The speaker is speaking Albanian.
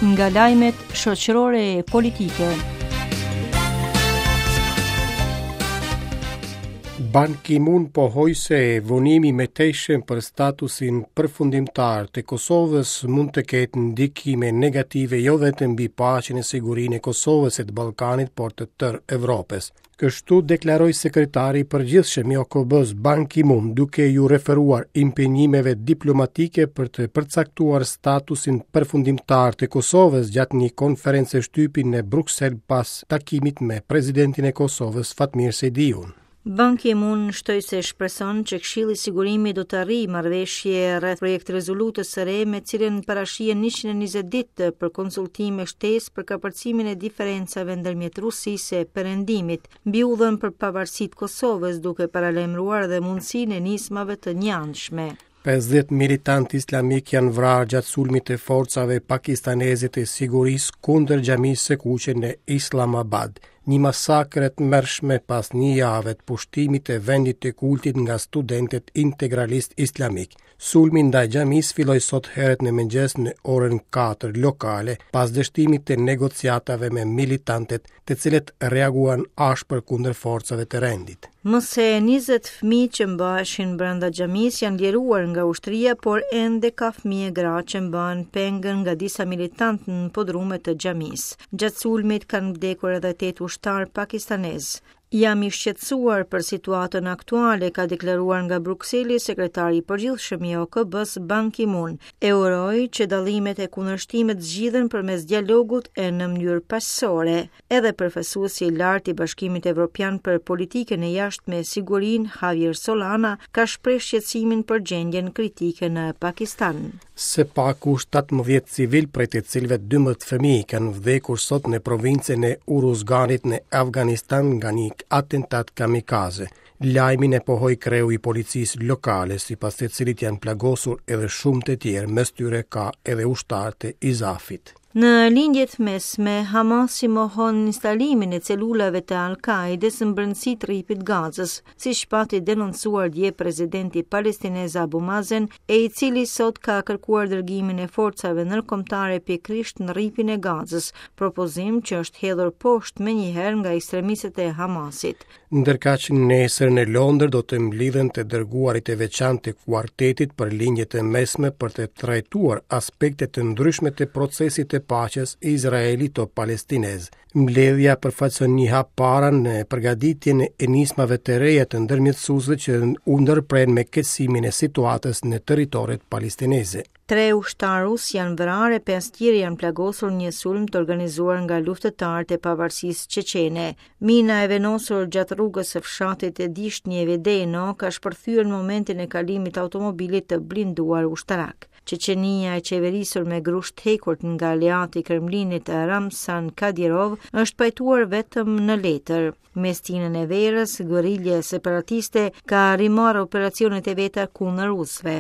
Nga lajmet shoqërore e politike. Ban Ki-moon pohoi se vonimi i mëtejshëm për statusin përfundimtar të Kosovës mund të ketë ndikime negative jo vetëm mbi paqen e sigurinë e Kosovës e të Ballkanit, por të tërë Evropës. Kështu deklaroi sekretari i përgjithshëm i OKB-së Ban Ki-moon duke iu referuar impenjimeve diplomatike për të përcaktuar statusin përfundimtar të Kosovës gjatë një konference shtypi në Bruksel pas takimit me presidentin e Kosovës Fatmir Sejdiun. Ban Ki-moon shtoi se shpreson që Këshilli i Sigurimit do të arrijë marrëveshje rreth projekt-rezolutës së re me cilën parashihen 120 ditë për konsultime shtesë për kapërcimin e diferencave ndërmjet Rusisë e Perëndimit mbi udhën për pavarësi të Kosovës, duke paralajmëruar edhe mundësinë e nismave të njëanshme. 50 militantë islamikë janë vrarë gjatë sulmit të forcave pakistaneze të sigurisë kundër xhamisë së kuqe në Islamabad. Një masakër e tmerrshme pas një jave të pushtimit të vendit të kultit nga studentët integralistë islamikë. Sulmi ndaj xhamisë filloi sot herët në mëngjes në orën 4 lokale, pas dështimit të negociatave me militantët të cilët reaguan ashpër kundër forcave të rendit. Më se 20 fëmijë që mbaheshin brenda xhamisë janë liruar nga ushtria, por ende ka fëmijë e gra që mbahen peng nga disa militantë në podrume të xhamisë. Gjatë sulmit kanë vdekur edhe 8 ushtarë pakistanezë. Jam i shqetësuar për situatën aktuale, ka deklaruar nga Brukseli sekretari i përgjithshëm i OKB-së Ban Ki-moon. E uroj që dallimet e kundërshtimet zgjidhen përmes dialogut e në mënyrë paqësore. Edhe përfaqësuesi i lartë i Bashkimit Evropian për politikën e jashtme e sigurinë, Javier Solana, ka shprehur shqetësimin për gjendjen kritike në Pakistan. Së paku 17 civilë prej të cilëve 12 fëmijë kanë vdekur sot në provincën e Uruzganit në Afganistan nga një atentat kamikaze. Lajmin e pohoi kreu i policisë lokale, sipas të cilit janë plagosur edhe shumë të tjerë, mes tyre ka edhe ushtarë të ISAF-it. Në Lindje të Mesme, Hamasi mohon instalimin e celulave të Al-Kaidës në brendësi të Rripit të Gazës, siç pati denoncuar dje presidenti palestinez Abu Mazen, e i cili sot ka kërkuar dërgimin e forcave ndërkombëtare pikërisht në Rripin e Gazës, propozim që është hedhur poshtë menjëherë nga ekstremistët e Hamasit. Ndërkaq nesër në Londër do të mblidhen të dërguarit e veçantë të kuartetit për Lindje të Mesme për të trajtuar aspekte të ndryshme të procesit të paqes izraelito-palestinez. Mbledhja përfaqëson një hap para në përgatitjen e nismave të reja të ndërmjetësuesve që u ndërprenë me qetësimin e situatës në territoret palestineze. Tre ushtarë rusë janë vrarë e pesë tjerë janë plagosur në një sulm të organizuar nga luftëtarët e pavarësisë çeçene. Mina e vendosur gjatë rrugës së fshatit Dishnje Vedeno ka shpërthyer në momentin e kalimit të automobilit të blinduar ushtarak. Çeçenia e qeverisur me grusht të hekurt nga aleati i Kremlinit Ramzan Kadyrov është pajtuar vetëm në letër. Me stinën e verës, guerilja separatiste ka rimarrë operacionet e veta kundër rusëve.